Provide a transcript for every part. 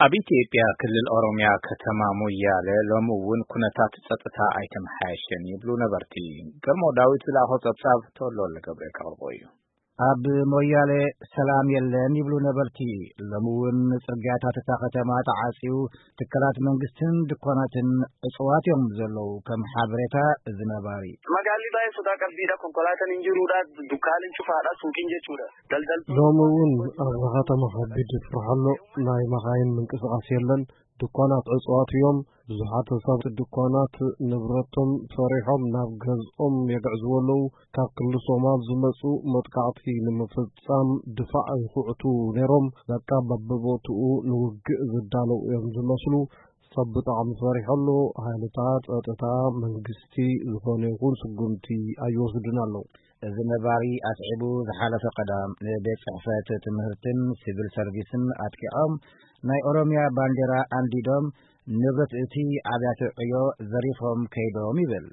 ኣብ ኢትዮጵያ ክልል ኦሮሚያ ከተማ ሞያለ ሎሚ እውን ኩነታት ጸጥታ ኣይተመሓየሸን ይብሉ ነበርቲ። ገልሞ ዳዊት ዝለኣኾ ጸብጻብ ተወልደ ገብረ ከቕርቦ እዩ። ኣብ ሞያለ ሰላም የለን ይብሉ ነበርቲ። ሎሚ እውን ጽርግያታት እታ ከተማ ተዓጽዩ፣ ትካላት መንግስትን ድኳናትን ዕጽዋት እዮም ዘለዉ። ከም ሓበሬታ እዚ ነባሪ። Magaalli baay'ee sodaa qabdiidha. Konkolaataan hin jiruudha. Dukkaaniin cufaadha. Suuqiin jechuudha. Daldaltoonni ሎሚ እውን ኣብዚ ከተማ ከቢድ ፍርሒ ኣሎ። ናይ መኻይን ምንቅስቓስ የለን። ድኳናት ዕጽዋት እዮም። ብዙሓት ሰባት ድኳናት ንብረቶም ፈሪሖም ናብ ገዝኦም የግዕዝዎ ኣለዉ። ካብ ክልል ሶማል ዝመጹ መጥቃዕቲ ንምፍጻም ድፋዕ ይኹዕቱ ነይሮም። በቃ በብቦትኡ ንውግእ ዝዳለዉ እዮም ዝመስሉ። ሰብ ብጣዕሚ ፈሪሑ ኣሎ። ሓይልታት ጸጥታ መንግስቲ ዝኾነ ይኹን ስጉምቲ ኣይወስዱን ኣለዉ። እዚ ነባሪ ኣስዒቡ፣ ዝሓለፈ ቀዳም ንቤት ጽሕፈት ትምህርትን ሲቪል ሰርቪስን ኣጥቂዖም፣ ናይ ኦሮሚያ ባንዴራ ኣንዲዶም፣ ንብረት እቲ ኣብያተ ዕዮ ዘሪፎም ከይዶም ይብል።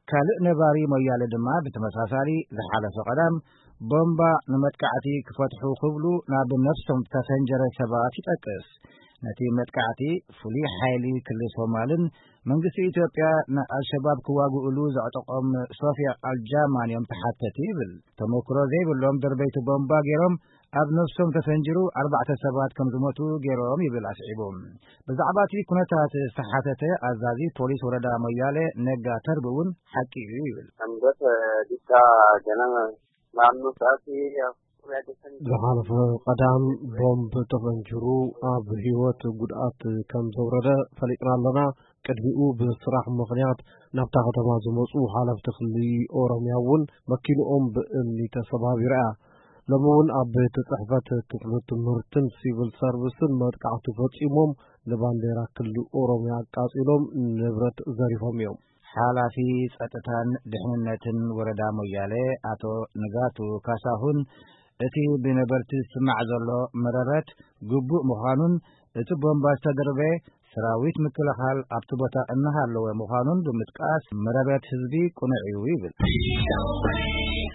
ካልእ ነባሪ ሞያለ ድማ ብተመሳሳሊ ዝሓለፈ ቀዳም ቦምባ ንመጥቃዕቲ ክፈትሑ ክብሉ ናብ ነፍሶም ዝተፈንጀረ ሰባት ይጠቅስ። ነቲ መጥቃዕቲ ፍሉይ ሓይሊ ክልል ሶማልን መንግስቲ ኢትዮጵያ ንኣልሸባብ ክዋግእሉ ዘዕጠቖም ሶፊያ ኣልጃማን እዮም ተሓተቲ ይብል። ተመክሮ ዘይብሎም ደርበይቲ ቦምባ ገይሮም ኣብ ነፍሶም ተፈንጅሩ ኣርባዕተ ሰባት ከም ዝሞቱ ገይሮም ይብል ኣስዒቡ። ብዛዕባ እቲ ኩነታት ዝተሓተተ ኣዛዚ ፖሊስ ወረዳ ሞያለ ነጋ ተርቢ እውን ሓቂ እዩ ይብል። Sanbata didhaa ganama naannoo sa'aatii afur yaadatan ዝሓለፈ ቀዳም ቦምብ ተፈንጅሩ ኣብ ህይወት ጉድኣት ከም ዘውረደ ፈሊጥና ኣለና። ቅድሚኡ ብስራሕ ምኽንያት ናብታ ከተማ ዝመጹ ሓለፍቲ ክሊ ኦሮሚያ እውን መኪንኦም ብእምኒ ተሰባቢራ እያ። ሎሚ እውን ኣብ ቤት ጽሕፈት ክፍሊ ትምህርትን ሲቪል ሰርቪስን መጥቃዕቲ ፈጺሞም ንባንዴራ ክሊ ኦሮሚያ ኣቃጺሎም ንብረት ዘሪፎም እዮም። ሓላፊ ጸጥታን ድሕንነትን ወረዳ ሞያሌ ኣቶ ንጋቱ ካሳሁን፣ እቲ ብነበርቲ ዝስማዕ ዘሎ መረረት ግቡእ ምዃኑን እቲ ቦምባ ዝተደርበ ሰራዊት ምክልኻል ኣብቲ ቦታ እናሃለወ ምዃኑን ብምጥቃስ፣ መረረት ህዝቢ ቅኑዕ እዩ ይብል።